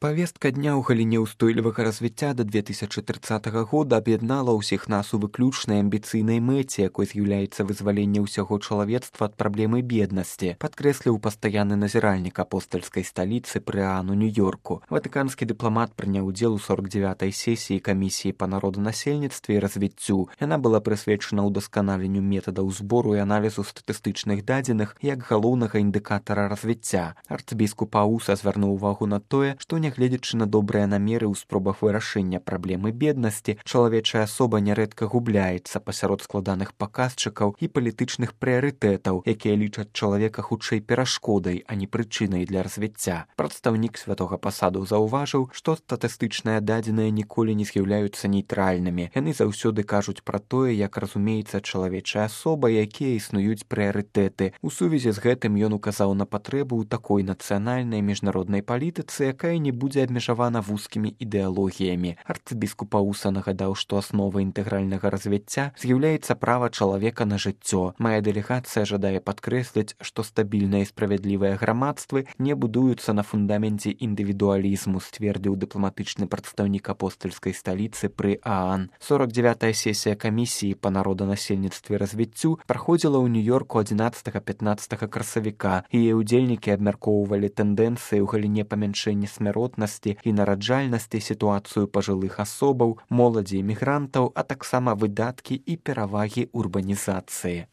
Павестка дня ў галіне ўстойлівага развіцця да 2030 года аб'яднала ўсіх нас у выключнай амбіцыйнай мэце, якой з'яўляецца вызваленне ўсяго чалавецтва ад праблемы беднасці, падкрэсліў пастаянны назіральнік апостальскай сталіцы пры ААН у Нью-Йорку. Ватыканскі дыпламат прыняў удзел у 49-й сесіі камісіі па народанасельніцтве і развіццю. Яна была прысвечана ўдасканаленню метадаў збору і аналізу статыстычных дадзеных як галоўнага індыкатара развіцця. Арцыбіскуп Ауса звярнуў увагу на тое, што нягледзячы на добрыя намеры ў спробах вырашэння праблемы беднасці, чалавечая асоба нярэдка губляецца пасярод складаных паказчыкаў і палітычных прыярытэтаў, якія лічаць чалавека хутчэй перашкодай, а не прычынай для развіцця. Прадстаўнік святога пасаду заўважыў, што статыстычныя дадзеныя ніколі не з'яўляюцца нейтральнымі. Яны заўсёды кажуць пра тое, як разумеецца чалавечая асоба, якія існуюць прыярытэты. У сувязі з гэтым ён указаў на патрэбу ў такой нацыянальнай міжнароднай палітыцы, якая не будзе абмежавана вузкімі ідэалогіямі. Арцыбіскуп Ауса нагадаў, што асновай інтэгральнага развіцця з'яўляецца права чалавека на жыццё. Мая дэлегацыя жадае падкрэсліць, што стабільныя і справядлівыя грамадствы не будуюцца на фундаменце індывідуалізму, сцвердзіў дыпламатычны прадстаўнік апостальскай сталіцы пры ААН. 49-я сесія камісіі па народанасельніцтве і развіццю праходзіла ў Нью-Йорку 11-15 красавіка. Яе ўдзельнікі абмяркоўвалі тэндэнцыі ў галіне памяншэння смяротнасці і нараджальнасці, сітуацыю пажылых асобаў, моладзі і мігрантаў, а таксама выдаткі і перавагі урбанізацыі.